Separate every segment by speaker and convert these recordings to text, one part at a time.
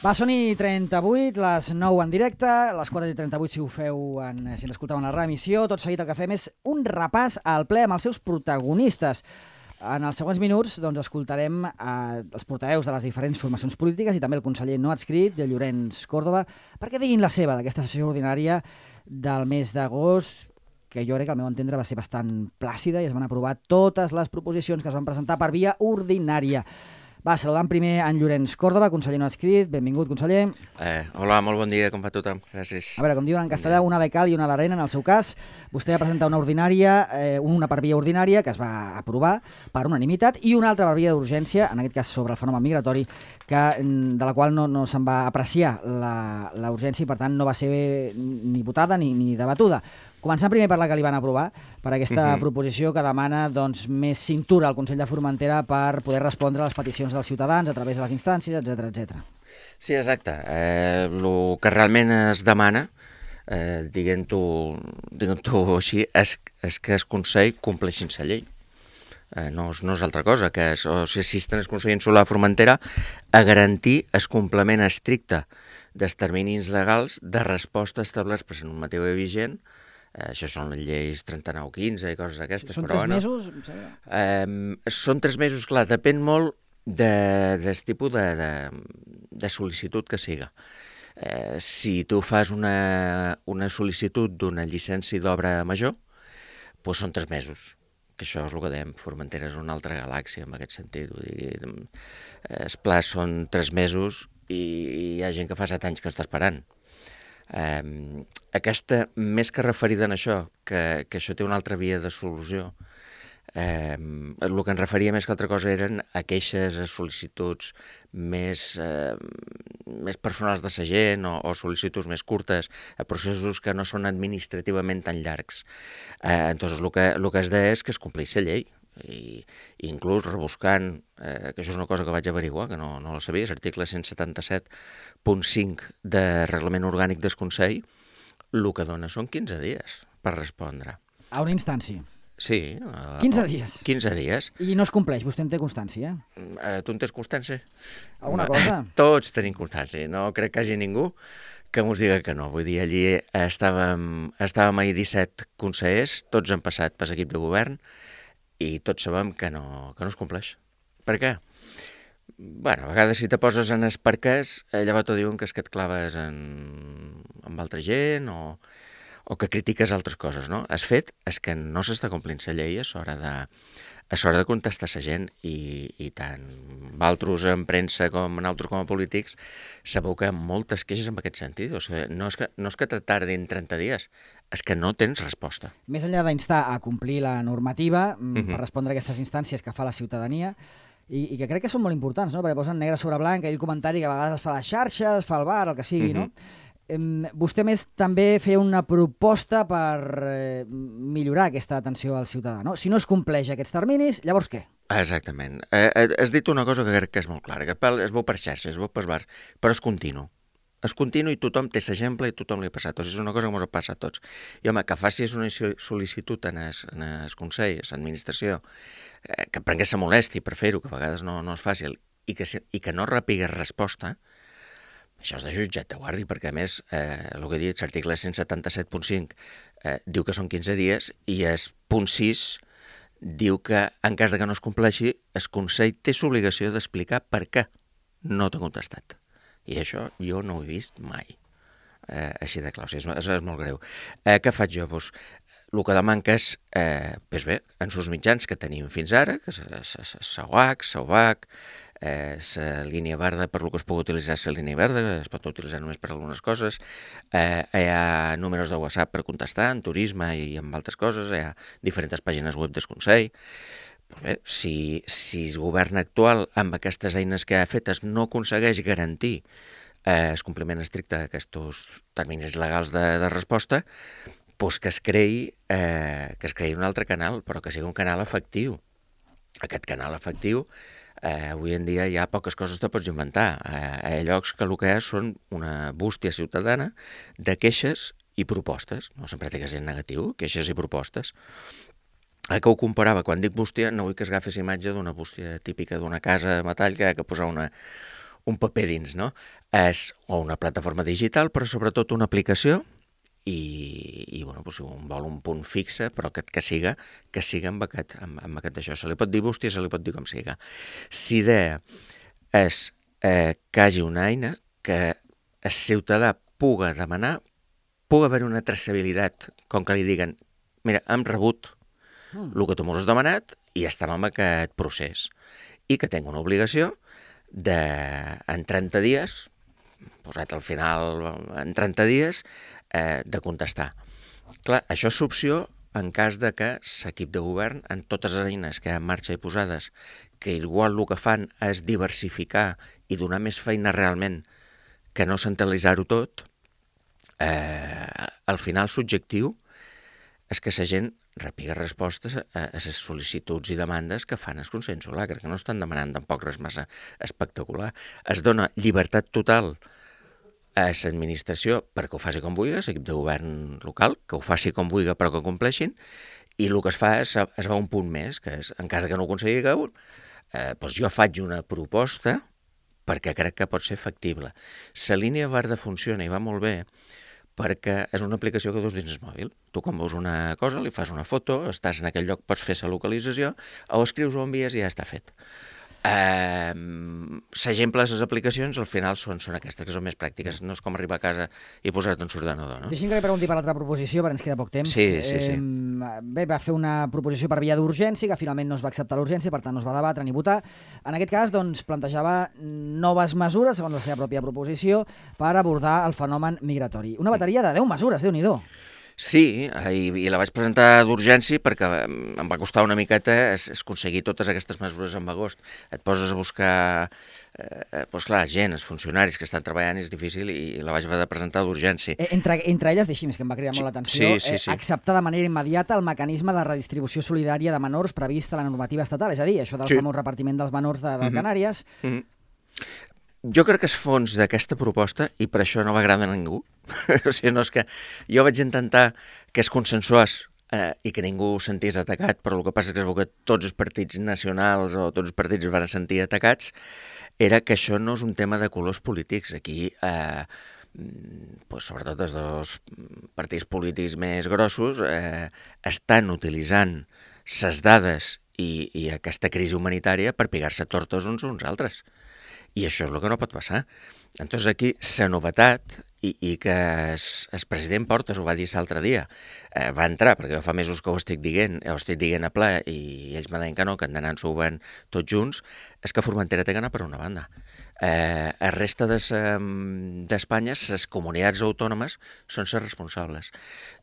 Speaker 1: Va, són i 38, les 9 en directe, les 4:38 si ho feu, si ens escolteu en la reemissió. Tot seguit el que fem és un repàs al ple amb els seus protagonistes. En els següents minuts escoltarem els portaveus de les diferents formacions polítiques i també el conseller no adscrit, de Llorenç Córdoba, perquè diguin la seva d'aquesta sessió ordinària del mes d'agost, que jo crec que al meu entendre va ser bastant plàcida i es van aprovar totes les proposicions que es van presentar per via ordinària. Va, saludant primer en Llorenç Córdoba, conseller no adscrit. Benvingut, conseller.
Speaker 2: Hola, molt bon dia, com va tothom? Gràcies.
Speaker 1: A veure, com diuen en castellà, una de cal i una d'arena, en el seu cas. Vostè va presentar una ordinària, una per via ordinària, que es va aprovar per unanimitat, i una altra per via d'urgència, en aquest cas sobre el fenomen migratori, de la qual no se'n va apreciar la urgència i, per tant, no va ser ni votada ni debatuda. Començant primer per la que li van aprovar, per aquesta proposició que demana més cintura al Consell de Formentera per poder respondre a les peticions dels ciutadans a través de les instàncies, etc.
Speaker 2: Sí, exacte. El que realment es demana, diguem-ho així, és que el Consell compleixi la llei. No és altra cosa, que s'assisten el Consell Insular de Formentera a garantir el complement estricte dels terminis legals de resposta establerts per la normativa vigent. Això són les lleis 39-15 i coses d'aquestes.
Speaker 1: Són 3 mesos?
Speaker 2: Són 3 mesos, clar, depèn molt del tipus de sol·licitud que siga. Si tu fas una sol·licitud d'una llicència d'obra major, doncs són 3 mesos, que això és el que dèiem, Formentera és una altra galàxia en aquest sentit. Vull dir, els plans són 3 mesos i hi ha gent que fa 7 anys que està esperant. Aquesta, més que referida en això, que això té una altra via de solució, el que ens referia més que altra cosa eren a queixes, a sol·licituds més personals de la gent o sol·licituds més curtes, a processos que no són administrativament tan llargs. Entonces, el que es deia és que es complís la llei. I inclús rebuscant, que això és una cosa que vaig averiguar, que no la sabia, l'article 177.5 de Reglament Orgànic del Consell, el que dona són 15 dies per respondre.
Speaker 1: A una instància?
Speaker 2: Sí.
Speaker 1: 15 dies?
Speaker 2: 15 dies.
Speaker 1: I no es compleix, vostè en té constància?
Speaker 2: Tu en tens constància?
Speaker 1: Alguna cosa?
Speaker 2: Tots tenim constància, no crec que hi hagi ningú que mos diga que no. Vull dir, allí estàvem ahir 17 consellers, tots han passat per l'equip de govern, i tots sabem que no es compleix. Per què? Bueno, a vegades si te poses en els perquès, llavors t'ho diuen que és que et claves amb altra gent o que critiques altres coses, no? El fet és que no s'està complint la llei a l'hora de contestar la gent i tant vosaltres en premsa com nosaltres com a polítics sabeu que hi ha moltes queixes en aquest sentit. O sigui, no és que te tardin 30 dies, és que no tens resposta.
Speaker 1: Més enllà d'instar a complir la normativa per respondre a aquestes instàncies que fa la ciutadania i que crec que són molt importants, no? Perquè posen negre sobre blanc aquell comentari que a vegades es fa a les xarxes, es fa al bar, el que sigui, no? Vostè més també feia una proposta per millorar aquesta atenció al ciutadà, no? Si no es compleix aquests terminis, llavors què?
Speaker 2: Exactament. Has dit una cosa que crec que és molt clara, que es veu per xarxes, es veu per bar, però és continu. És continu i tothom té l'exemple i tothom li ha passat. O sigui, és una cosa que ens passa a tots. I home, que facis una sol·licitud en el Consell, a l'administració, que prengués la molèstia per fer-ho, que a vegades no és fàcil, i que no repigues resposta, això és de jutjat de guàrdia, perquè a més, el que he dit, l'article 177.5 diu que són 15 dies i el punt 6 diu que en cas de que no es compleixi, el Consell té l'obligació d'explicar per què no t'ha contestat. I això jo no ho he vist mai, així de clar, o sigui, és molt greu. Què faig jo? Doncs, el que demanca és, bé, en els mitjans que tenim fins ara, que és SAUAC, la línia verda, per lo que es pugui utilitzar la línia verda, es pot utilitzar només per algunes coses, hi ha números de WhatsApp per contestar, en turisme i en altres coses, hi ha diferents pàgines web del Consell. Doncs bé, si el govern actual, amb aquestes eines que ha fetes, no aconsegueix garantir el compliment estricte d'aquests terminis legals de resposta, doncs que es creï un altre canal, però que sigui un canal efectiu. Aquest canal efectiu, avui en dia hi ha poques coses que pots inventar. Hi ha llocs que el que hi ha són una bústia ciutadana de queixes i propostes. No sempre té que ser negatiu, queixes i propostes. Que ho comparava, quan dic bústia, no vull que es agafés imatge d'una bústia típica d'una casa de metall que ha de posar un paper dins, no? és una plataforma digital, però sobretot una aplicació i bueno, doncs, un vol un punt fixe, però que siga amb aquest d'això. Se li pot dir bústia, se li pot dir com siga. L'idea és que hi hagi una eina que el ciutadà puga demanar, puga haver una traçabilitat, com que li diguen, mira, hem rebut el que tu m'has demanat i estem en aquest procés. I que tingui una obligació en 30 dies, posat al final en 30 dies, de contestar. Clar, això és opció en cas de que l'equip de govern, en totes les eines que hi ha en marxa i posades, que igual el que fan és diversificar i donar més feina realment que no centralitzar-ho tot, al final l'objectiu és que la gent repiga respostes a les sol·licituds i demandes que fan el Consell Insular, que no estan demanant tampoc res massa espectacular. Es dona llibertat total a l'administració perquè ho faci com vulgui, l'equip de govern local, que ho faci com vulgui però que compleixin, i el que es fa és es va un punt més, que és, en cas que no ho aconseguiu, doncs jo faig una proposta perquè crec que pot ser factible. La línia verda funciona i va molt bé perquè és una aplicació que dus dins el mòbil. Tu quan veus una cosa, li fas una foto, estàs en aquell lloc, pots fer la localització, o escrius o envies i ja està fet. L'exemple de les aplicacions al final són aquestes que són més pràctiques, no és com arribar a casa i posar-te un ordenador, no?
Speaker 1: Deixi'm que li pregunti per l'altra proposició, perquè ens queda poc temps.
Speaker 2: Sí.
Speaker 1: Bé, va fer una proposició per via d'urgència, que finalment no es va acceptar l'urgència, per tant no es va debatre ni votar. En aquest cas, doncs, plantejava noves mesures, segons la seva pròpia proposició, per abordar el fenomen migratori. Una bateria de 10 mesures, Déu-n'hi-do.
Speaker 2: Sí, i la vaig presentar d'urgència perquè em va costar una miqueta aconseguir totes aquestes mesures en agost. Et poses a buscar, doncs clar, gent, els funcionaris que estan treballant i és difícil i la vaig haver de presentar d'urgència.
Speaker 1: Entre elles, deixi'm, que em va cridar molt l'atenció, acceptar de manera immediata el mecanisme de redistribució solidària de menors previst a la normativa estatal, és a dir, això del famós repartiment dels menors de Canàries.
Speaker 2: Jo crec que el fons d'aquesta proposta, i per això no va agradar a ningú, o sigui, no és que jo vaig intentar que es consensués i que ningú es sentís atacat, però el que passa és que es veu que tots els partits nacionals o tots els partits es van sentir atacats, era que això no és un tema de colors polítics. Aquí, sobretot els dos partits polítics més grossos estan utilitzant les dades i aquesta crisi humanitària per pigar-se tortes uns altres. I això és el que no pot passar. Entonces aquí la novetat, i que el president Portas ho va dir l'altre dia, va entrar, perquè jo fa mesos que ho estic dient a ple, i ells me deien que no, que han d'anar ensobant tots junts, és que Formentera té que anar per una banda. El resta d'Espanya, les comunitats autònomes són les responsables.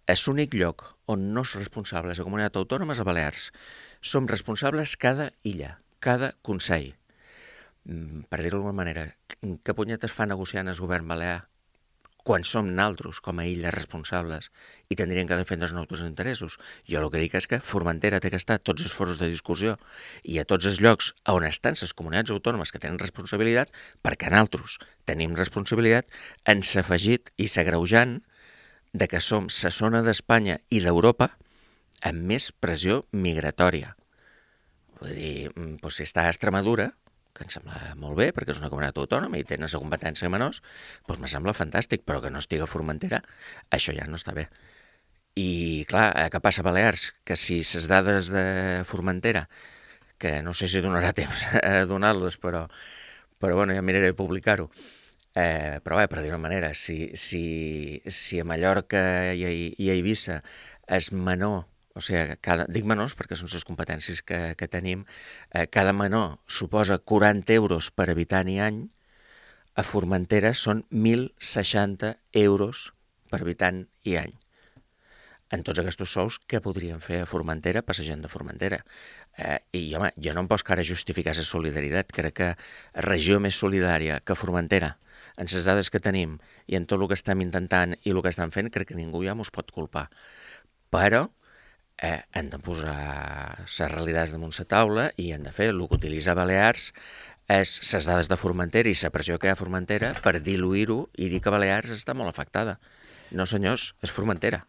Speaker 2: És l'únic lloc on no és responsable la comunitat autònoma és a Balears. Som responsables cada illa, cada consell. Per dir-ho d'alguna manera, què punyetes fa negociant el govern balear quan som naltros com a illes responsables i tindrien que defendre els nostres interessos? Jo el que dic és que Formentera té que estar a tots els foros de discussió i a tots els llocs on estan les comunitats autònomes que tenen responsabilitat, perquè naltros tenim responsabilitat, ens ha afegit i s'agreujant de que som la zona d'Espanya i d'Europa amb més pressió migratòria. Vull dir, si està a Extremadura, que em sembla molt bé, perquè és una comunitat autònoma i tenen la competència menors, doncs me sembla fantàstic, però que no estigui a Formentera, això ja no està bé. I, clar, què passa a Balears? Que si les dades de Formentera, que no sé si donarà temps a donar-les, però bueno, ja miraré de publicar-ho, però bé, per dir una manera, si a Mallorca i a Eivissa és menor, o sigui, dic menors perquè són les competències que tenim, cada menor suposa 40 euros per habitant i any, a Formentera són 1.060 euros per habitant i any. En tots aquests sous, què podríem fer a Formentera per la gent de Formentera? I, home, jo no em pots ara justificar la solidaritat. Crec que regió més solidària que Formentera, en les dades que tenim i en tot el que estem intentant i el que estem fent, crec que ningú ja mos pot culpar. Però hem de posar les realitats damunt la taula i hem de fer el que utilitza Balears és les dades de Formentera i la pressió que hi ha a Formentera per diluir-ho i dir que Balears està molt afectada. No, senyors, és Formentera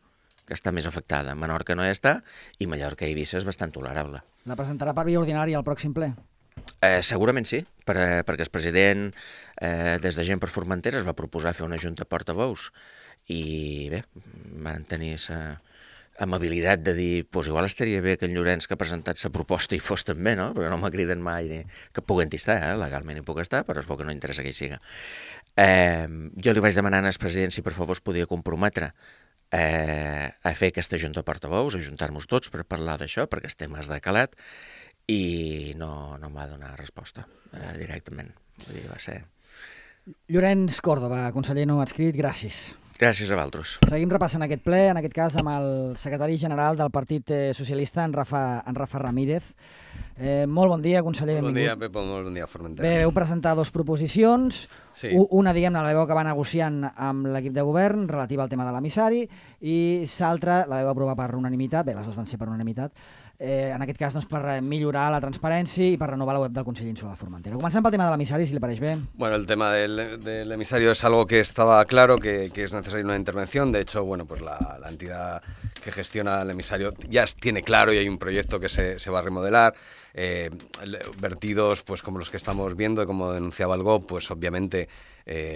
Speaker 2: que està més afectada. Menorca no hi està i Mallorca i Eivissa és bastant tolerable.
Speaker 1: La presentarà per via ordinària al pròxim ple?
Speaker 2: Segurament sí, perquè el president, des de Gent per Formentera, es va proposar fer una junta portaveus i bé, van tenir amabilitat de dir, pues igual estaria bé que en Llorenç que ha presentat la proposta hi fos també, no? Perquè no me criden mai ni que puguin estar, legalment hi puc estar, però es veu que no interessa que hi siga. Jo li vaig demanar al president si per favor es podia comprometre a fer aquesta junta portaveus, a juntar-nos tots per parlar d'això, perquè el tema és de calat, i no em va donar resposta directament. Vull dir, va ser...
Speaker 1: Llorenç Córdoba, conseller no adscrit, gràcies.
Speaker 2: Gràcies a vosaltres.
Speaker 1: Seguim repassant aquest ple, en aquest cas amb el secretari general del Partit Socialista, en Rafa Ramírez. Molt bon dia, conseller, benvingut.
Speaker 3: Bon dia, Pep, molt bon dia, Formentera.
Speaker 1: Bé, veu presentar dos proposicions. Sí. Una, diguem-ne, la veu acabar negociant amb l'equip de govern relativa al tema de l'emissari i l'altra la veu aprovar per unanimitat, bé, les dues van ser per unanimitat, en aquest cas doncs, per millorar la transparència i per renovar la web del Consell Insular de Formentera. Comencem pel tema de l'emissari, si le pareix bé.
Speaker 3: Bueno, el tema del emisario es algo que estaba claro, que es necesaria una intervención. De hecho, bueno, pues la entidad que gestiona el emisario ya tiene claro y hay un proyecto que se va a remodelar. Vertidos pues como los que estamos viendo, como denunciaba el GOP, pues obviamente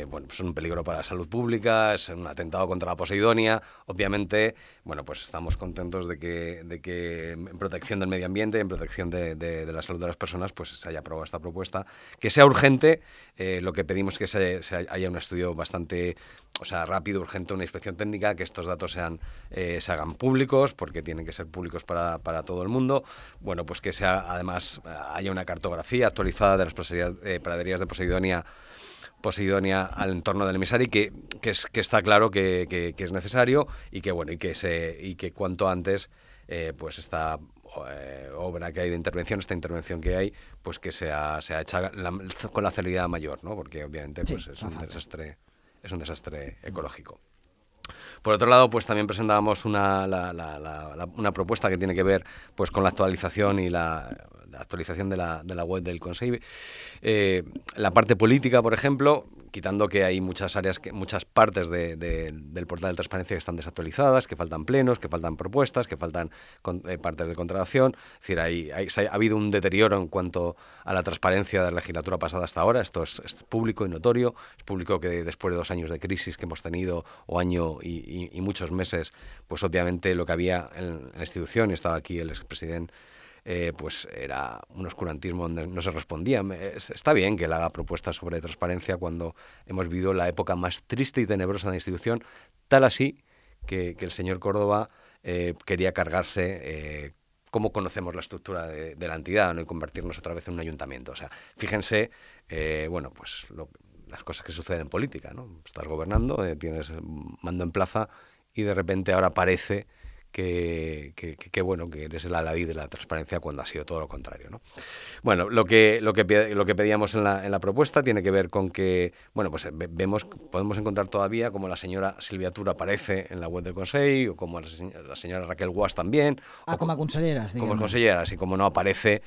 Speaker 3: bueno, pues son un peligro para la salud pública, es un atentado contra la Posidonia. Obviamente, bueno, pues estamos contentos de que en protección del medio ambiente, en protección de la salud de las personas, pues se haya aprobado esta propuesta. Que sea urgente, lo que pedimos es que haya un estudio bastante, o sea, rápido, urgente, una inspección técnica, que estos datos se hagan públicos, porque tienen que ser públicos para todo el mundo. Bueno, pues que además haya una cartografía actualizada de las praderías de Posidonia al entorno del emisario, que está claro que es necesario y que bueno y que cuanto antes pues esta obra que hay de intervención, esta intervención que hay, pues que sea hecha con la celeridad mayor, ¿no? Porque obviamente pues es un desastre ecológico. Por otro lado, pues también presentábamos una propuesta que tiene que ver pues con la actualización y la actualización de la web del Consejo. La parte política, por ejemplo, quitando que hay muchas partes del portal de transparencia que están desactualizadas, que faltan plenos, que faltan propuestas, que faltan partes de contratación. Es decir, ha habido un deterioro en cuanto a la transparencia de la legislatura pasada hasta ahora. Esto es público y notorio. Es público que después de 2 años de crisis que hemos tenido, o año y muchos meses, pues obviamente lo que había en la institución, y estaba aquí el expresidente, pues era un oscurantismo donde no se respondía. Está bien que él haga propuestas sobre transparencia cuando hemos vivido la época más triste y tenebrosa de la institución, tal así que el señor Córdoba quería cargarse cómo conocemos la estructura de la entidad, ¿no? Y convertirnos otra vez en un ayuntamiento. O sea, fíjense, bueno, pues las cosas que suceden en política, ¿no? Estás gobernando, tienes mando en plaza y de repente ahora parece que bueno, que eres el aladí de la transparencia cuando ha sido todo lo contrario, ¿no? Bueno, lo que pedíamos en la propuesta tiene que ver con que, bueno, pues podemos encontrar todavía como la señora Silvia Tura aparece en la web del Consejo, o como la señora Raquel Guas también.
Speaker 1: Como a conselleras, digamos.
Speaker 3: Como conselleras, y como no aparece...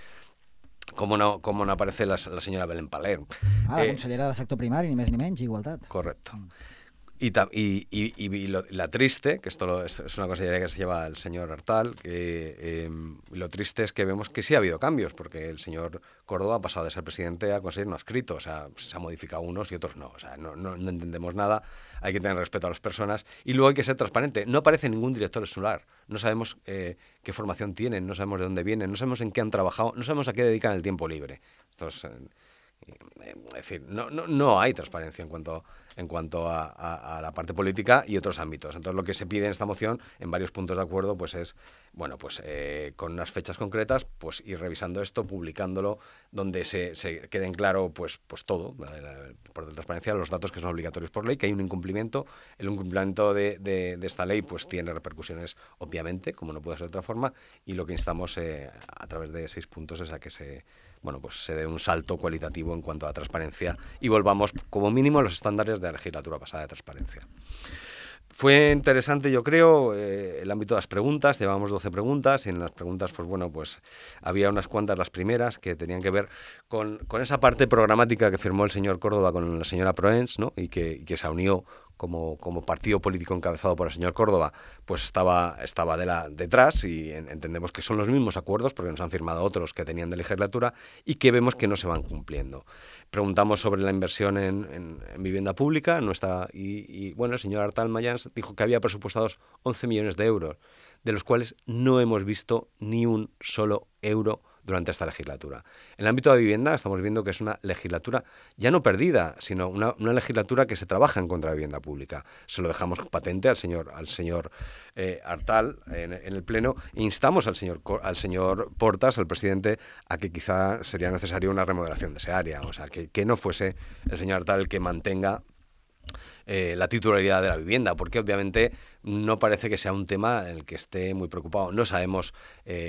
Speaker 3: Com no aparece la senyora Belén Paler.
Speaker 1: La consellera de sector primari, ni més ni menys, igualtat.
Speaker 3: Correcto. Y la triste, que esto es una consellería que se lleva el señor Artal, que lo triste es que vemos que sí ha habido cambios, porque el señor Córdoba ha pasado de ser presidente a conseguir no adscrito, o sea, se ha modificado unos y otros no, o sea, no entendemos nada, hay que tener respeto a las personas y luego hay que ser transparente. No aparece ningún director escolar, no sabemos qué formación tienen, no sabemos de dónde vienen, no sabemos en qué han trabajado, no sabemos a qué dedican el tiempo libre. Esto es decir, no hay transparencia en cuanto a la parte política y otros ámbitos. Entonces, lo que se pide en esta moción, en varios puntos de acuerdo, pues es, bueno, pues con unas fechas concretas, pues ir revisando esto, publicándolo, donde se queden claro, pues todo, por transparencia, los datos que son obligatorios por ley, que hay un incumplimiento. El incumplimiento de esta ley, pues tiene repercusiones, obviamente, como no puede ser de otra forma, y lo que instamos a través de 6 puntos es a que se dé un salto cualitativo en cuanto a transparencia y volvamos como mínimo a los estándares de la legislatura pasada de transparencia. Fue interesante, yo creo, el ámbito de las preguntas. Llevamos 12 preguntas y en las preguntas, pues bueno, pues había unas cuantas, las primeras, que tenían que ver con esa parte programática que firmó el señor Córdoba con la señora Proens, ¿no? Y que se unió como partido político encabezado por el señor Córdoba, pues estaba detrás, y entendemos que son los mismos acuerdos porque nos han firmado otros que tenían de legislatura y que vemos que no se van cumpliendo. Preguntamos sobre la inversión en vivienda pública, bueno, el señor Artal Mayans dijo que había presupuestados 11 millones de euros, de los cuales no hemos visto ni un solo euro durante esta legislatura. En el ámbito de la vivienda estamos viendo que es una legislatura ya no perdida, sino una legislatura que se trabaja en contra de la vivienda pública. Se lo dejamos patente al señor Artal en el Pleno e instamos al señor Portas, al presidente, a que quizá sería necesario una remodelación de ese área. O sea, que no fuese el señor Artal el que mantenga la titularidad de la vivienda, porque obviamente no parece que sea un tema en el que esté muy preocupado. No sabemos,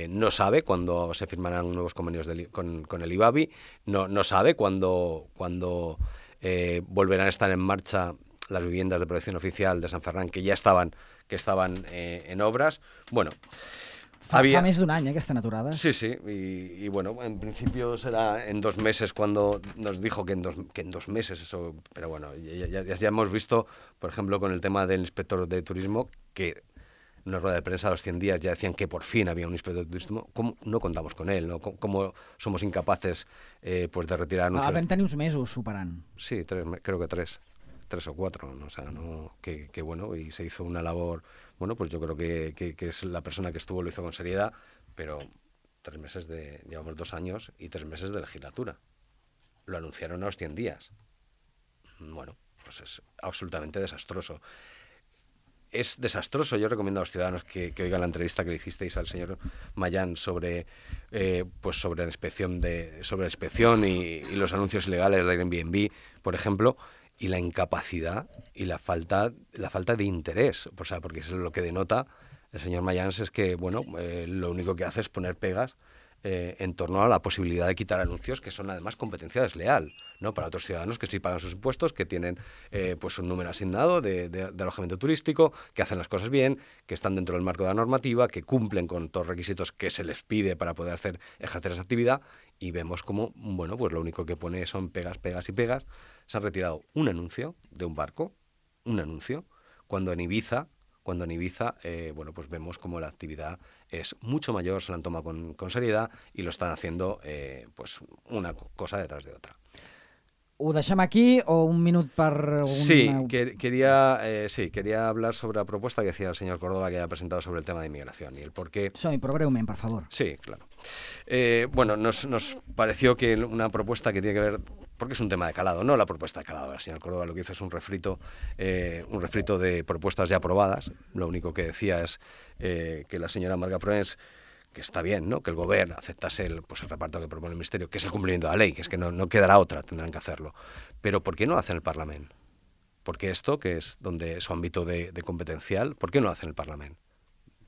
Speaker 3: no sabe cuándo se firmarán nuevos convenios con el IBABI, no sabe cuándo volverán a estar en marcha las viviendas de protección oficial de San Ferran, que estaban en obras. Bueno,
Speaker 1: Fa més d'un any, aquesta aturada.
Speaker 3: Sí, y bueno, en principio será en 2 meses, cuando nos dijo que en 2 meses eso, pero bueno, ya hemos visto, por ejemplo, con el tema del inspector de turismo, que en una rueda de prensa a los 100 días ya decían que por fin había un inspector de turismo. ¿Cómo no contamos con él? ¿No? ¿Cómo somos incapaces pues de retirar anuncios?
Speaker 1: Vam tenir uns mesos superant.
Speaker 3: Sí, creo que 3 o 4, ¿no? O sea, que bueno, y se hizo una labor. Bueno, pues yo creo que es la persona que lo hizo con seriedad, pero 3 meses llevamos 2 años y 3 meses de legislatura. Lo anunciaron a los 100 días. Bueno, pues es absolutamente desastroso. Es desastroso. Yo recomiendo a los ciudadanos que oigan la entrevista que le hicisteis al señor Mayán sobre la inspección y los anuncios ilegales de Airbnb, por ejemplo, y la incapacidad y la falta de interés. O sea, porque eso es lo que denota el señor Mayans, es que bueno, lo único que hace es poner pegas en torno a la posibilidad de quitar anuncios que son además competencia desleal, ¿no? Para otros ciudadanos que sí pagan sus impuestos, que tienen pues un número asignado de alojamiento turístico, que hacen las cosas bien, que están dentro del marco de la normativa, que cumplen con todos los requisitos que se les pide para poder ejercer esa actividad, y vemos como, bueno, pues lo único que pone son pegas y pegas. Se han retirado un anuncio de un barco, cuando en Ibiza, bueno, pues vemos como la actividad es mucho mayor, se la han tomado con seriedad y lo están haciendo pues una cosa detrás de otra.
Speaker 1: Ho deixem aquí o un minut per...
Speaker 3: Sí, quería hablar sobre la propuesta que decía el señor Córdoba, que ha presentado sobre el tema de inmigración y el por qué...
Speaker 1: Som-hi, però breument, per favor.
Speaker 3: Sí, claro. Bueno, nos pareció que una propuesta que tiene que ver... Porque es un tema de calado, no la propuesta de calado. El señor Córdoba lo que hizo es un refrito de propuestas ya aprobadas. Lo único que decía es que la señora Marga Proens, que está bien, ¿no?, que el gobierno aceptase el reparto que propone el Ministerio, que es el cumplimiento de la ley, que es que no quedará otra, tendrán que hacerlo. Pero ¿por qué no hacen el Parlamento? Porque esto, que es donde su ámbito de competencial, ¿por qué no hacen el Parlamento?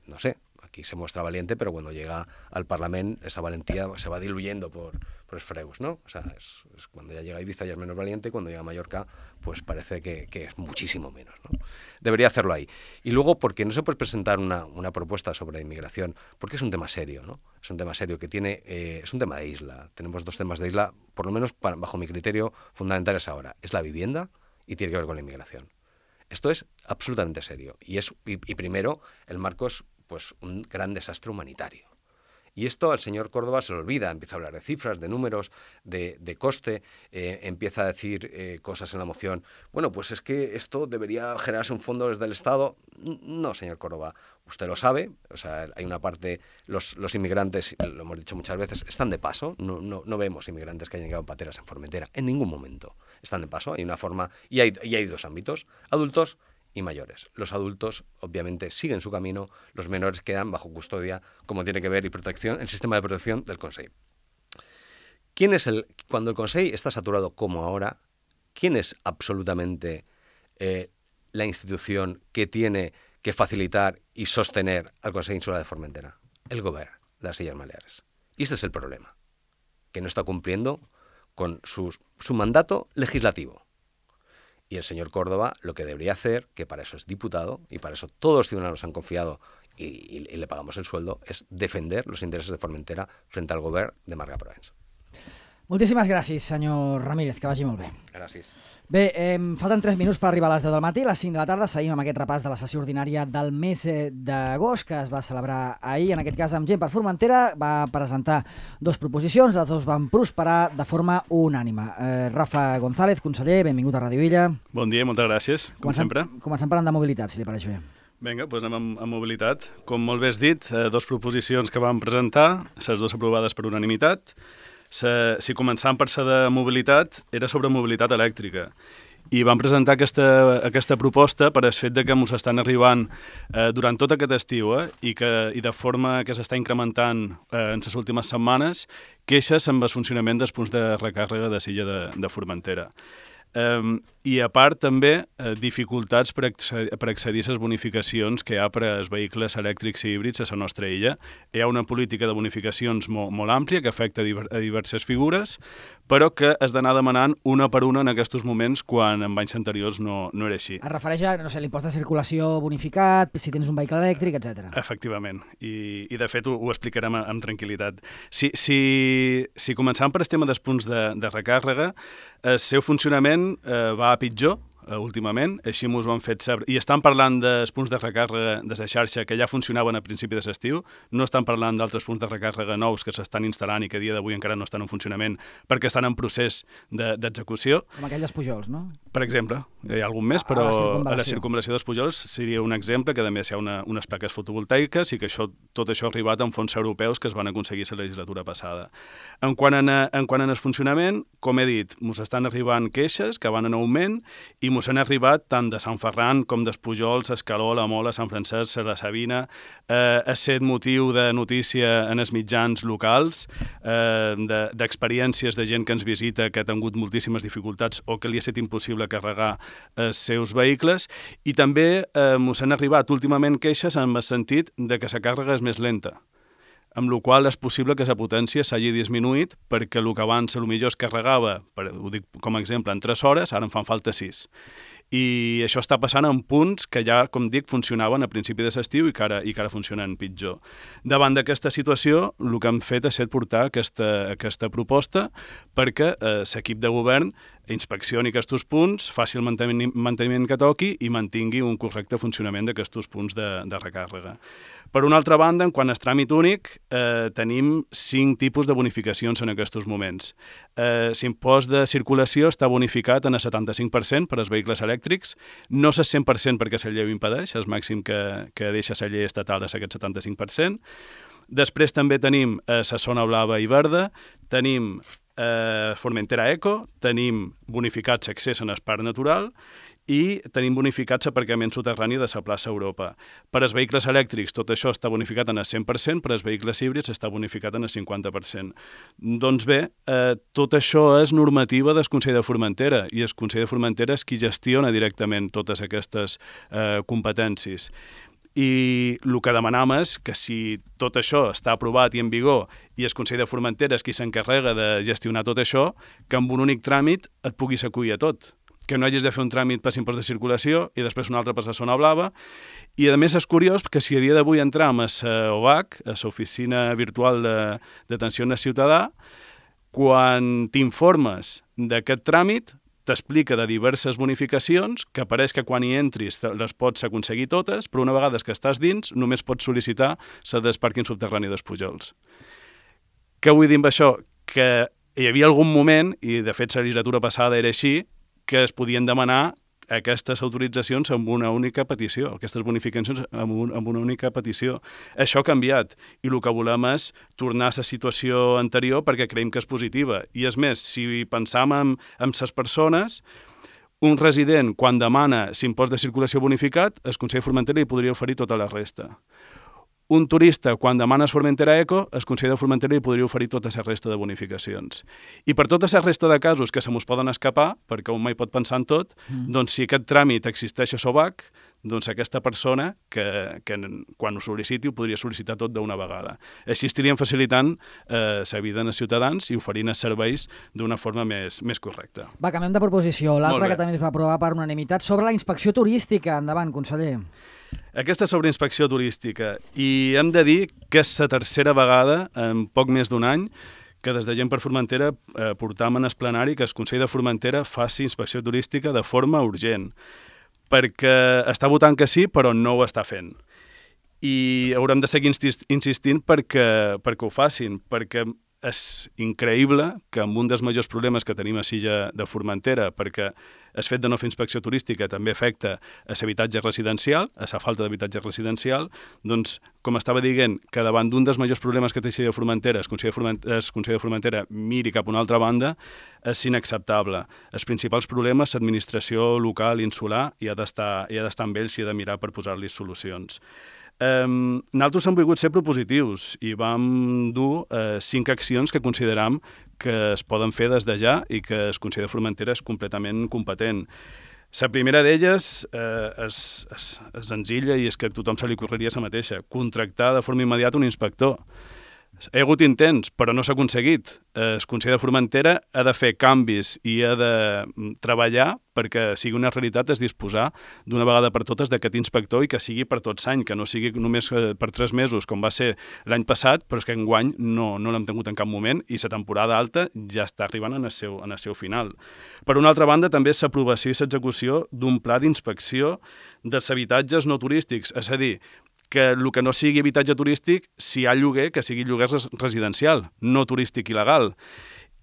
Speaker 3: No sé, aquí se muestra valiente, pero cuando llega al Parlamento esa valentía se va diluyendo por esfregos, ¿no? O sea, es cuando ya llega a Ibiza ya es menos valiente, y cuando llega a Mallorca pues parece que es muchísimo menos, ¿no? Debería hacerlo ahí. Y luego, porque no se puede presentar una propuesta sobre inmigración, porque es un tema serio, ¿no? Es un tema serio que tiene, es un tema de isla. Tenemos 2 temas de isla, por lo menos bajo mi criterio, fundamentales ahora. Es la vivienda y tiene que ver con la inmigración. Esto es absolutamente serio. Y primero, el marco es pues un gran desastre humanitario. Y esto al señor Córdoba se le olvida, empieza a hablar de cifras, de números, de coste, empieza a decir cosas en la moción. Bueno, pues es que esto debería generarse un fondo desde el Estado. No, señor Córdoba, usted lo sabe, o sea, hay una parte, los inmigrantes, lo hemos dicho muchas veces, están de paso, no vemos inmigrantes que hayan llegado en pateras en Formentera, en ningún momento. Están de paso, hay una forma, y hay 2 ámbitos, adultos y mayores. Los adultos, obviamente, siguen su camino, los menores quedan bajo custodia, como tiene que ver, y protección, el sistema de protección del Consell. Cuando el Consell está saturado como ahora, ¿quién es absolutamente la institución que tiene que facilitar y sostener al Consell Insular de Formentera? El Govern de las Illes Baleares. Y este es el problema, que no está cumpliendo con su mandato legislativo. Y el señor Córdoba lo que debería hacer, que para eso es diputado y para eso todos los ciudadanos han confiado y le pagamos el sueldo, es defender los intereses de Formentera frente al gobierno de Marga Proens.
Speaker 1: Moltíssimes gràcies, senyor Ramírez, que vagi molt bé.
Speaker 3: Gràcies.
Speaker 1: Bé, falten 3 minuts per arribar a les 10 del matí. A les 5 de la tarda seguim amb aquest repàs de la sessió ordinària del mes d'agost, que es va celebrar ahir, en aquest cas amb gent per Formentera. Va presentar 2 proposicions, les 2 van prosperar de forma unànime. Rafa González, conseller, benvingut a Ràdio Illa.
Speaker 4: Bon dia, moltes gràcies, com sempre.
Speaker 1: Comencem parlant de mobilitat, si li pareix bé.
Speaker 4: Vinga, doncs anem amb mobilitat. Com molt bé has dit, 2 proposicions que vam presentar, les 2 aprovades per unanimitat. Si començàvem per ser de mobilitat, era sobre mobilitat elèctrica. I vam presentar aquesta proposta per el fet de que ens estan arribant durant tot aquest estiu i de forma que s'està incrementant en les últimes setmanes queixes amb el funcionament dels punts de recàrrega de Silla de Formentera. I a part també dificultats per accedir a les bonificacions que hi ha per als vehicles elèctrics i híbrids a la nostra illa. Hi ha una política de bonificacions molt àmplia que afecta a diverses figures, però que has d'anar demanant una per una en aquests moments quan en anys anteriors no era així.
Speaker 1: Es refereix a l'impost de circulació bonificat, si tens un vehicle elèctric, etc.
Speaker 4: Efectivament, i de fet ho explicarem amb tranquil·litat. Si començàvem per el tema dels punts de recàrrega, el seu funcionament va a pitjor últimament, així ens ho han fet saber. I estan parlant dels punts de recàrrega de la xarxa que ja funcionaven a principi de l'estiu, no estan parlant d'altres punts de recàrrega nous que s'estan instal·lant i que a dia d'avui encara no estan en funcionament perquè estan en procés d'execució.
Speaker 1: Com aquelles Pujols, no?
Speaker 4: Per exemple, hi ha algun més, però a la circunvalació dels Pujols seria un exemple que a més hi ha unes plaques fotovoltaiques i que tot això ha arribat amb fons europeus que es van aconseguir la legislatura passada. En quant a el funcionament, com he dit, ens estan arribant queixes que van en augment i ens han arribat tant de Sant Ferran com dels Pujols, Escaló, la Mola, Sant Francesc, la Sabina, ha set motiu de notícia en els mitjans locals, d'experiències de gent que ens visita que ha tingut moltíssimes dificultats o que li ha estat impossible carregar els seus vehicles, i també ens han arribat últimament queixes en el sentit de que la càrrega és més lenta, amb la qual és possible que la potència s'hagi disminuït perquè el que abans potser es carregava, ho dic com a exemple, en 3 hores, ara en fan falta 6. I això està passant en punts que ja, com dic, funcionaven a principi de l'estiu i que ara funcionen pitjor. Davant d'aquesta situació, el que hem fet ha estat portar aquesta proposta perquè l'equip de govern inspeccioni aquests punts, faci el manteniment que toqui i mantingui un correcte funcionament d'aquests punts de recàrrega. Per una altra banda, en quant al tràmit únic, tenim 5 tipus de bonificacions en aquests moments. L'impost de circulació està bonificat en el 75% per als vehicles elèctrics, no el 100% perquè la llei ho impedeix, el màxim que deixa la llei estatal és aquest 75%. Després també tenim la zona blava i verda, tenim Formentera Eco, tenim bonificats accés en el parc natural i tenim bonificats aparcament soterrani de la plaça Europa. Per als vehicles elèctrics tot això està bonificat en el 100%, per als vehicles híbrids està bonificat en el 50%. Doncs bé, tot això és normativa del Consell de Formentera i el Consell de Formentera és qui gestiona directament totes aquestes competències. I el que demanam és que si tot això està aprovat i en vigor i el Consell de Formentera és qui s'encarrega de gestionar tot això, que amb un únic tràmit et puguis acollir a tot. Que no hagis de fer un tràmit per l'impost de circulació i després un altre per la zona blava. I a més és curiós que si a dia d'avui entram a l'OVAC, a l'Oficina Virtual d'Atenció al Ciutadà, quan t'informes d'aquest tràmit, t'explica de diverses bonificacions, que pareix que quan hi entris les pots aconseguir totes, però una vegada que estàs dins només pots sol·licitar la del pàrquing subterrani dels Pujols. Què vull dir amb això? Que hi havia algun moment, i de fet la legislatura passada era així, que es podien demanar aquestes autoritzacions amb una única petició, aquestes bonificacions amb una única petició. Això ha canviat i el que volem és tornar a la situació anterior perquè creiem que és positiva. I és més, si pensam en les persones, un resident, quan demana l'impost de circulació bonificat, el Consell de Formentera li podria oferir tota la resta. Un turista, quan demana Formentera Eco, el Consell de Formentera li podria oferir tota la resta de bonificacions. I per tota la resta de casos que se mos poden escapar, perquè un mai pot pensar en tot, doncs si aquest tràmit existeix a SOVAC, doncs aquesta persona que quan ho sol·liciti ho podria sol·licitar tot d'una vegada. Així estaríem facilitant la vida als ciutadans i oferint els serveis d'una forma més correcta.
Speaker 1: Va, canviem de proposició. L'altra que també es va aprovar per unanimitat sobre la inspecció turística. Endavant, conseller.
Speaker 4: Aquesta sobre inspecció turística. I hem de dir que és la tercera vegada en poc més d'un any que des de Gent per Formentera portam en el plenari que el Consell de Formentera faci inspecció turística de forma urgent, perquè està votant que sí, però no ho està fent. I haurem de seguir insistint perquè ho facin, perquè és increïble que amb un dels majors problemes que tenim a l'illa de Formentera, perquè el fet de no fer inspecció turística també afecta a l'habitatge residencial, a la falta d'habitatge residencial, doncs, com estava dient, que davant d'un dels majors problemes que té l'illa de Formentera, el Consell de Formentera miri cap a una altra banda, és inacceptable. Els principals problemes, l'administració local, insular, i ha d'estar amb ells i ha de mirar per posar-li solucions. Nosaltres hem volgut ser propositius i vam dur 5 accions que consideram que es poden fer des de ja i que el Consell de Formentera és completament competent. La primera d'elles és senzilla i és que a tothom se li ocorreria la mateixa, contractar de forma immediata un inspector. Hi ha hagut intents, però no s'ha aconseguit. El Consell de Formentera ha de fer canvis i ha de treballar perquè sigui una realitat és disposar d'una vegada per totes d'aquest inspector i que sigui per tots l'any, que no sigui només per 3 mesos, com va ser l'any passat, però és que enguany no l'hem tingut en cap moment i la temporada alta ja està arribant en el seu final. Per una altra banda, també és l'aprovació i l'execució d'un pla d'inspecció dels habitatges no turístics, és a dir, que el que no sigui habitatge turístic, si hi ha lloguer, que sigui lloguer residencial, no turístic il·legal.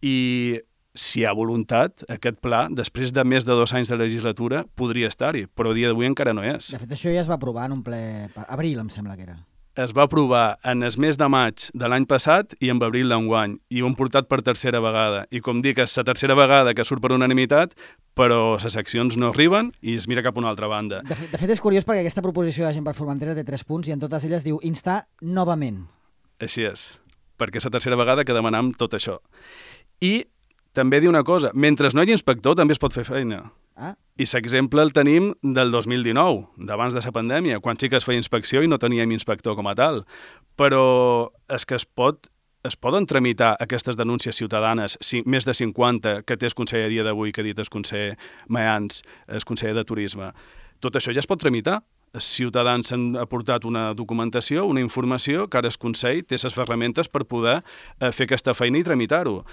Speaker 4: I si hi ha voluntat, aquest pla, després de més de 2 anys de legislatura, podria estar-hi, però a dia d'avui encara no és.
Speaker 1: De fet, això ja es va aprovar en un ple... Abril, em sembla que era.
Speaker 4: Es va aprovar en el mes de maig de l'any passat i en abril d'enguany, i ho hem portat per tercera vegada. I com dic, és la tercera vegada que surt per unanimitat, però les accions no arriben i es mira cap a una altra banda.
Speaker 1: De fet, és curiós perquè aquesta proposició de Gent per Formentera té 3 punts i en totes elles diu instar novament.
Speaker 4: Així és, perquè és la tercera vegada que demanam tot això. I també dir una cosa, mentre no hi hagi inspector també es pot fer feina. I l'exemple el tenim del 2019, d'abans de la pandèmia, quan sí que es feia inspecció i no teníem inspector com a tal. Però és que es poden tramitar aquestes denúncies ciutadanes, més de 50 que té el conseller a dia d'avui, que ha dit el conseller Mayans, el conseller de Turisme. Tot això ja es pot tramitar. Els ciutadans han aportat una documentació, una informació, que ara el Consell té les ferramentes per poder fer aquesta feina i tramitar-ho.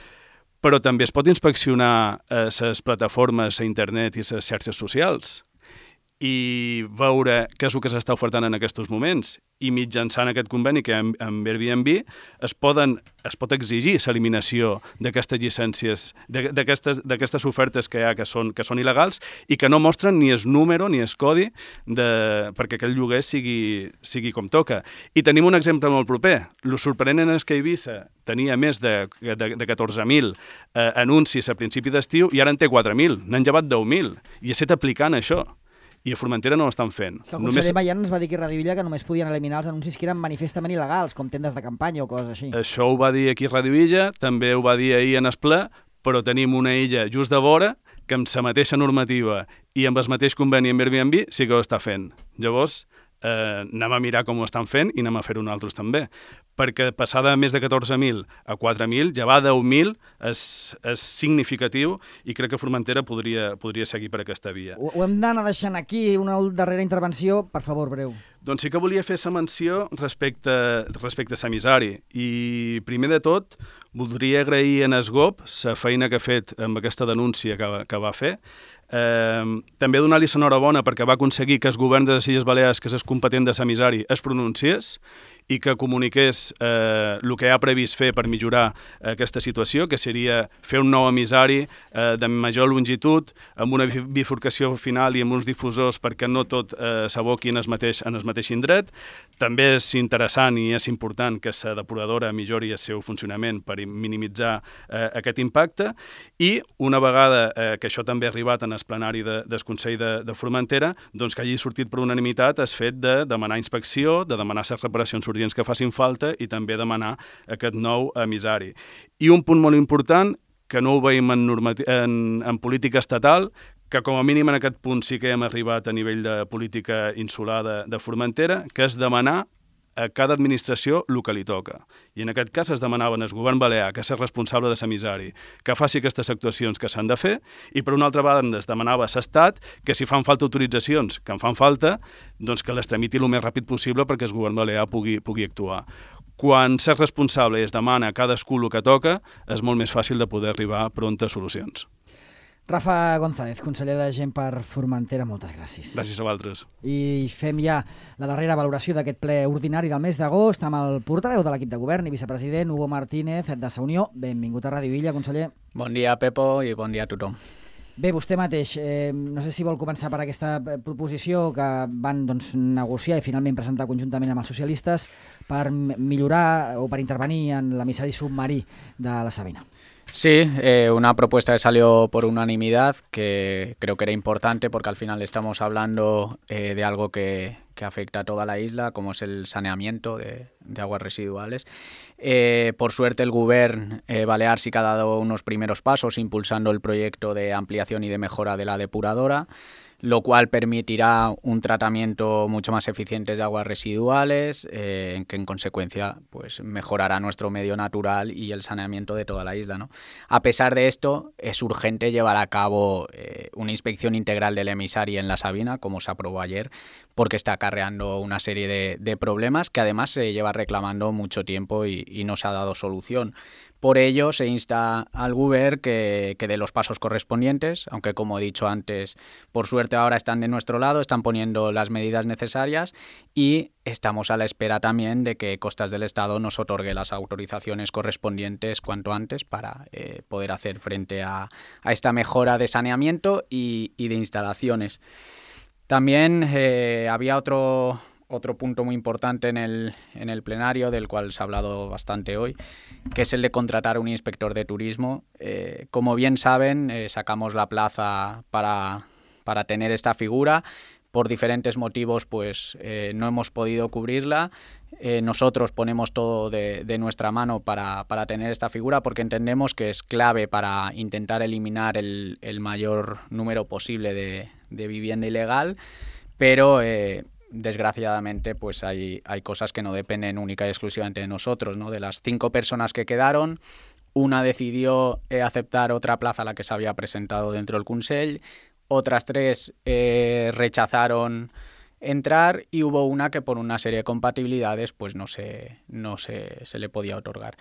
Speaker 4: Però també es pot inspeccionar les plataformes a internet i les xarxes socials i veure què és el que s'està ofertant en aquests moments. I mitjançant aquest conveni que hi ha amb Airbnb es pot exigir l'eliminació d'aquestes llicències, d'aquestes ofertes que hi ha que són il·legals i que no mostren ni el número ni el codi perquè aquest lloguer sigui com toca. I tenim un exemple molt proper. Lo sorprenent és que Eivissa tenia més de 14.000 anuncis a principi d'estiu i ara en té 4.000. N'han llevat 10.000. I ha estat aplicant això. I a Formentera no ho estan fent.
Speaker 1: El conseller Mayans va dir aquí a Radio Illa que només podien eliminar els anuncis que eren manifestament il·legals, com tendes de campanya o coses així.
Speaker 4: Això ho va dir aquí a Radio Illa, també ho va dir ahir en el ple, però tenim una illa just de vora que amb la mateixa normativa i amb el mateix conveni amb Airbnb sí que ho està fent. Llavors, anem a mirar com ho estan fent i anem a fer-ho nosaltres també. Perquè passar de més de 14.000 a 4.000, ja va 10.000, és significatiu i crec que Formentera podria seguir per aquesta via.
Speaker 1: Ho hem d'anar deixant aquí, una darrera intervenció, per favor, breu.
Speaker 4: Doncs sí que volia fer la menció respecte a Samisari. I primer de tot, voldria agrair a Esgop la feina que ha fet amb aquesta denúncia que va fer. També donar-li l'enhorabona perquè va aconseguir que el govern de les Illes Balears, que és competent de Samisari, es pronunciés i que comuniqués el que ha previst fer per millorar aquesta situació, que seria fer un nou emissari de major longitud, amb una bifurcació final i amb uns difusors perquè no tot s'aboqui en el mateix indret. També és interessant i és important que la depuradora millori el seu funcionament per minimitzar aquest impacte i una vegada que això també ha arribat en el plenari del Consell de Formentera, doncs que hagi sortit per unanimitat el fet de demanar inspecció, de demanar les reparacions urgents que facin falta i també demanar aquest nou emissari. I un punt molt important, que no ho veiem en política estatal, que com a mínim en aquest punt sí que hem arribat a nivell de política insular de Formentera, que és demanar a cada administració el que li toca. I en aquest cas es demanaven al govern balear que és responsable de l'emissari, que faci aquestes actuacions que s'han de fer, i per una altra banda es demanava a l'Estat que si fan falta autoritzacions, que en fan falta, doncs que les tramiti el més ràpid possible perquè el govern balear pugui actuar. Quan s'és responsable i es demana a cadascú el que toca, és molt més fàcil de poder arribar pront a solucions.
Speaker 1: Rafa González, conseller de Gent per Formentera, moltes gràcies.
Speaker 4: Gràcies a vosaltres.
Speaker 1: I fem ja la darrera valoració d'aquest ple ordinari del mes d'agost amb el portaveu de l'equip de govern i vicepresident, Hugo Martínez, de Sa Unió. Benvingut a Ràdio Illa, conseller.
Speaker 5: Bon dia, Pepo, i bon dia a tothom.
Speaker 1: Bé, vostè mateix, no sé si vol començar per aquesta proposició que van negociar i finalment presentar conjuntament amb els socialistes per millorar o per intervenir en l'emissari submarí de la Sabina.
Speaker 5: Sí, una propuesta que salió por unanimidad, que creo que era importante porque al final estamos hablando de algo que afecta a toda la isla, como es el saneamiento de aguas residuales. Por suerte el Govern balear sí que ha dado unos primeros pasos impulsando el proyecto de ampliación y de mejora de la depuradora, lo cual permitirá un tratamiento mucho más eficiente de aguas residuales, que en consecuencia pues mejorará nuestro medio natural y el saneamiento de toda la isla, ¿no? A pesar de esto, es urgente llevar a cabo una inspección integral del emisari en la Sabina, como se aprobó ayer, porque está acarreando una serie de problemas que además se lleva reclamando mucho tiempo y no se ha dado solución. Por ello, se insta al Govern que dé los pasos correspondientes, aunque como he dicho antes, por suerte ahora están de nuestro lado, están poniendo las medidas necesarias y estamos a la espera también de que Costas del Estado nos otorgue las autorizaciones correspondientes cuanto antes para poder hacer frente a esta mejora de saneamiento y de instalaciones. También había otro punto muy importante en el plenario, del cual se ha hablado bastante hoy, que es el de contratar un inspector de turismo. Como bien saben, sacamos la plaza para tener esta figura. Por diferentes motivos, pues no hemos podido cubrirla. Nosotros ponemos todo de nuestra mano para tener esta figura porque entendemos que es clave para intentar eliminar el mayor número posible de vivienda ilegal, pero desgraciadamente pues hay cosas que no dependen única y exclusivamente de nosotros, ¿no? De las 5 personas que quedaron, una decidió aceptar otra plaza a la que se había presentado dentro del Consell, otras 3 rechazaron entrar y hubo una que por una serie de compatibilidades pues no se le podía otorgar.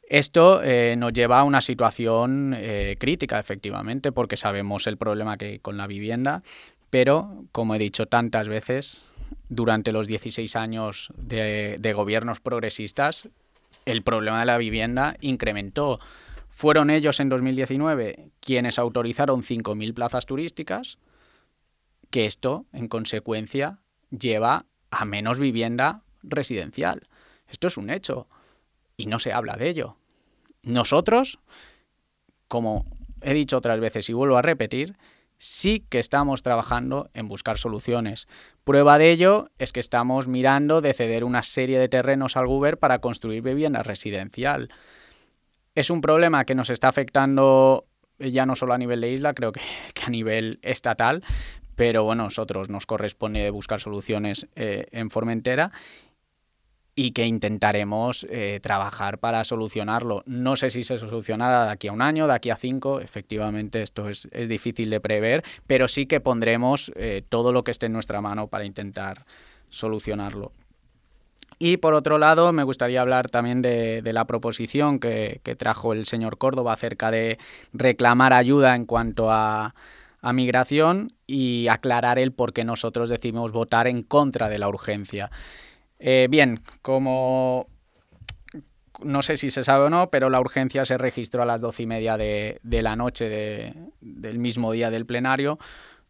Speaker 5: Esto nos lleva a una situación crítica, efectivamente, porque sabemos el problema que hay con la vivienda, pero, como he dicho tantas veces, durante los 16 años de gobiernos progresistas, el problema de la vivienda incrementó. Fueron ellos en 2019 quienes autorizaron 5.000 plazas turísticas, que esto, en consecuencia, lleva a menos vivienda residencial. Esto es un hecho y no se habla de ello. Nosotros, como he dicho otras veces y vuelvo a repetir, sí que estamos trabajando en buscar soluciones. Prueba de ello es que estamos mirando de ceder una serie de terrenos al Govern para construir vivienda residencial. Es un problema que nos está afectando ya no solo a nivel de isla, creo que a nivel estatal, pero bueno, nosotros nos corresponde buscar soluciones en Formentera y que intentaremos trabajar para solucionarlo. No sé si se solucionará de aquí a 1 año, de aquí a 5, efectivamente esto es difícil de prever, pero sí que pondremos todo lo que esté en nuestra mano para intentar solucionarlo. Y por otro lado, me gustaría hablar también de la proposición que trajo el señor Córdoba acerca de reclamar ayuda en cuanto a migración y aclarar el por qué nosotros decidimos votar en contra de la urgencia. Bien, como no sé si se sabe o no, pero la urgencia se registró a las 12:30 de la noche del mismo día del plenario,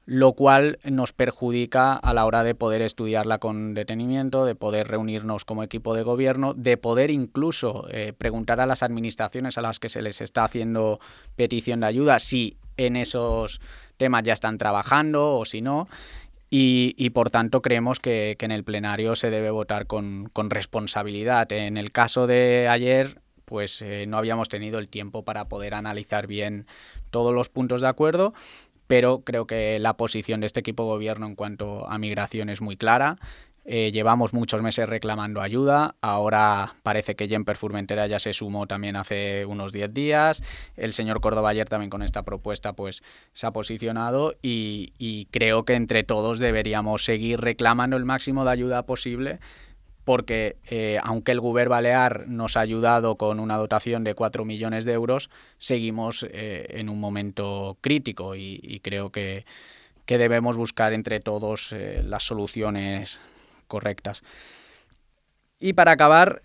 Speaker 5: lo cual nos perjudica a la hora de poder estudiarla con detenimiento, de poder reunirnos como equipo de gobierno, de poder incluso preguntar a las administraciones a las que se les está haciendo petición de ayuda si en esos temas ya están trabajando o si no. Y por tanto creemos que en el plenario se debe votar con responsabilidad. En el caso de ayer, pues no habíamos tenido el tiempo para poder analizar bien todos los puntos de acuerdo, pero creo que la posición de este equipo de gobierno en cuanto a migración es muy clara. Llevamos muchos meses reclamando ayuda, ahora parece que Gemper Formentera ya se sumó también hace unos 10 días, el señor Córdoba ayer también con esta propuesta pues se ha posicionado y creo que entre todos deberíamos seguir reclamando el máximo de ayuda posible, porque aunque el Govern Balear nos ha ayudado con una dotación de 4 millones de euros, seguimos en un momento crítico y creo que debemos buscar entre todos las soluciones correctas. Y para acabar,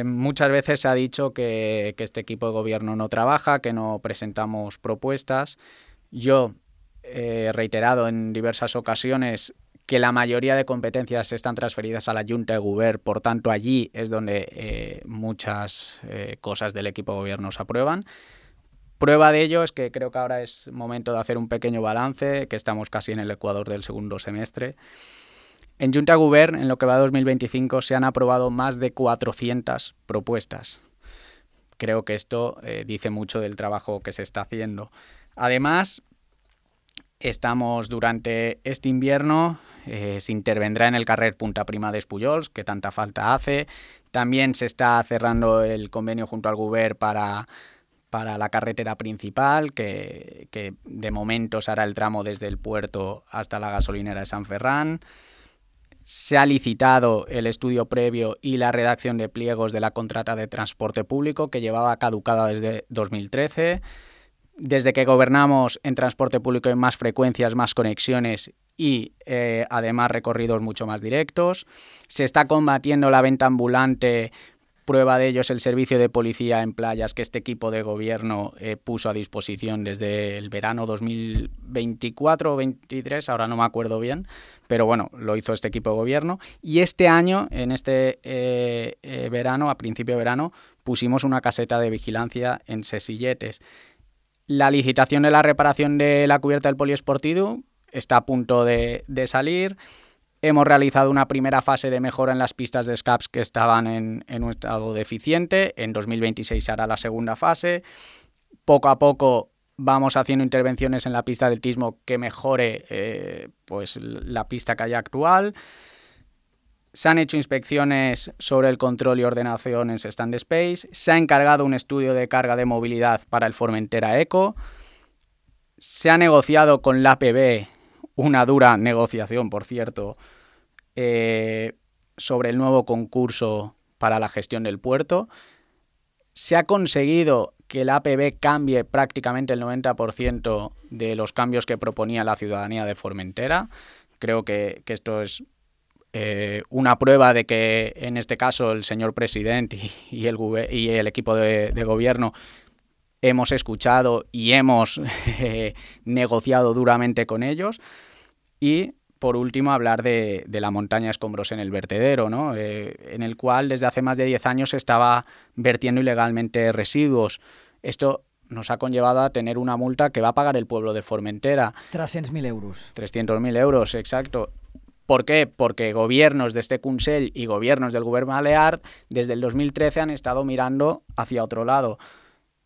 Speaker 5: muchas veces se ha dicho que este equipo de gobierno no trabaja, que no presentamos propuestas. Yo he reiterado en diversas ocasiones que la mayoría de competencias están transferidas a la Junta de Govern, por tanto allí es donde muchas cosas del equipo de gobierno se aprueban. Prueba de ello es que creo que ahora es momento de hacer un pequeño balance, que estamos casi en el ecuador del segundo semestre. En Junta de Govern, en lo que va de 2025, se han aprobado más de 400 propuestas. Creo que esto dice mucho del trabajo que se está haciendo. Además, estamos durante este invierno, se intervendrá en el carrer Punta Prima de Espullols, que tanta falta hace. También se está cerrando el convenio junto al Govern para la carretera principal, que de momento se hará el tramo desde el puerto hasta la gasolinera de San Ferran. Se ha licitado el estudio previo y la redacción de pliegos de la contrata de transporte público, que llevaba caducada desde 2013. Desde que gobernamos, en transporte público hay más frecuencias, más conexiones y además recorridos mucho más directos. Se está combatiendo la venta ambulante. Prueba de ello es el servicio de policía en playas que este equipo de gobierno puso a disposición desde el verano 2024 o 2023, ahora no me acuerdo bien, pero bueno, lo hizo este equipo de gobierno. Y este año, en este verano, a principio de verano, pusimos una caseta de vigilancia en Sesilletes. La licitación de la reparación de la cubierta del poliesportivo está a punto de salir. Hemos realizado una primera fase de mejora en las pistas de escaps que estaban en un estado deficiente. En 2026 se hará la segunda fase. Poco a poco vamos haciendo intervenciones en la pista de atletismo que mejore pues la pista que hay actual. Se han hecho inspecciones sobre el control y ordenación en Stand Space. Se ha encargado un estudio de carga de movilidad para el Formentera Eco. Se ha negociado con la APB, una dura negociación, por cierto, sobre el nuevo concurso para la gestión del puerto. Se ha conseguido que la APB cambie prácticamente el 90% de los cambios que proponía la ciudadanía de Formentera. Creo que esto es una prueba de que, en este caso, el señor presidente y el equipo de gobierno hemos escuchado y hemos negociado duramente con ellos. Y, por último, hablar de la montaña escombros en el vertedero, ¿no? En el cual desde hace más de 10 años se estaba vertiendo ilegalmente residuos. Esto nos ha conllevado a tener una multa que va a pagar el pueblo de Formentera.
Speaker 1: 300.000 euros.
Speaker 5: 300.000 euros, exacto. ¿Por qué? Porque gobiernos de este Consell y gobiernos del Govern Balear desde el 2013 han estado mirando hacia otro lado.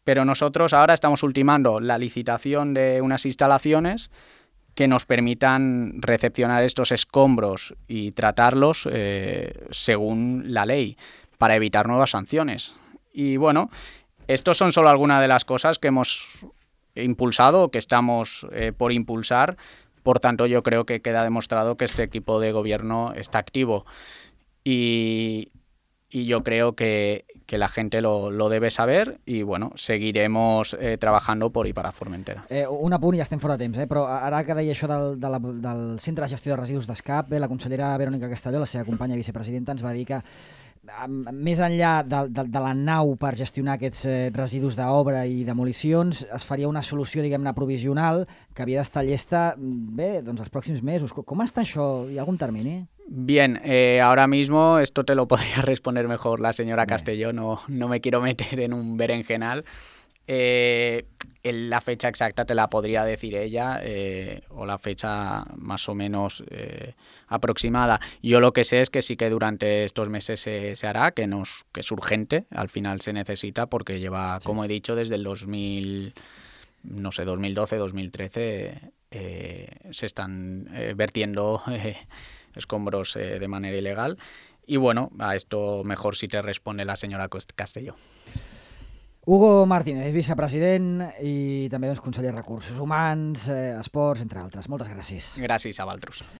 Speaker 5: Pero nosotros ahora estamos ultimando la licitación de unas instalaciones que nos permitan recepcionar estos escombros y tratarlos según la ley, para evitar nuevas sanciones. Y bueno, estos son solo algunas de las cosas que hemos impulsado o que estamos por impulsar. Por tanto, yo creo que queda demostrado que este equipo de gobierno está activo. Y yo creo que la gente lo debe saber i, bueno, seguiremos trabajando por i per a Formentera.
Speaker 1: Un apunt, ja estem fora de temps, però ara que deia això del Centre de Gestió de Residus d'Escap, la consellera Verònica Castelló, la seva companya vicepresidenta, ens va dir que més enllà de la nau per gestionar aquests residus d'obra i demolicions, es faria una solució, diguem-ne, provisional que havia d'estar llesta, bé, doncs els pròxims mesos. Com està això? Hi ha algun termini?
Speaker 5: Bien, ahora mismo esto te lo podría responder mejor la señora Castelló, no me quiero meter en un berenjenal. La fecha exacta te la podría decir ella, o la fecha más o menos aproximada. Yo lo que sé es que sí que durante estos meses se hará, que es urgente, al final se necesita porque lleva, sí, como he dicho, desde el 2012, 2013 se están vertiendo escombros de manera ilegal. Y bueno, a esto mejor si te responde la señora Castelló.
Speaker 1: Hugo Martínez, vicepresident i també conseller de Recursos Humans, Esports, entre altres. Moltes gràcies.
Speaker 5: Gràcies a vosaltres.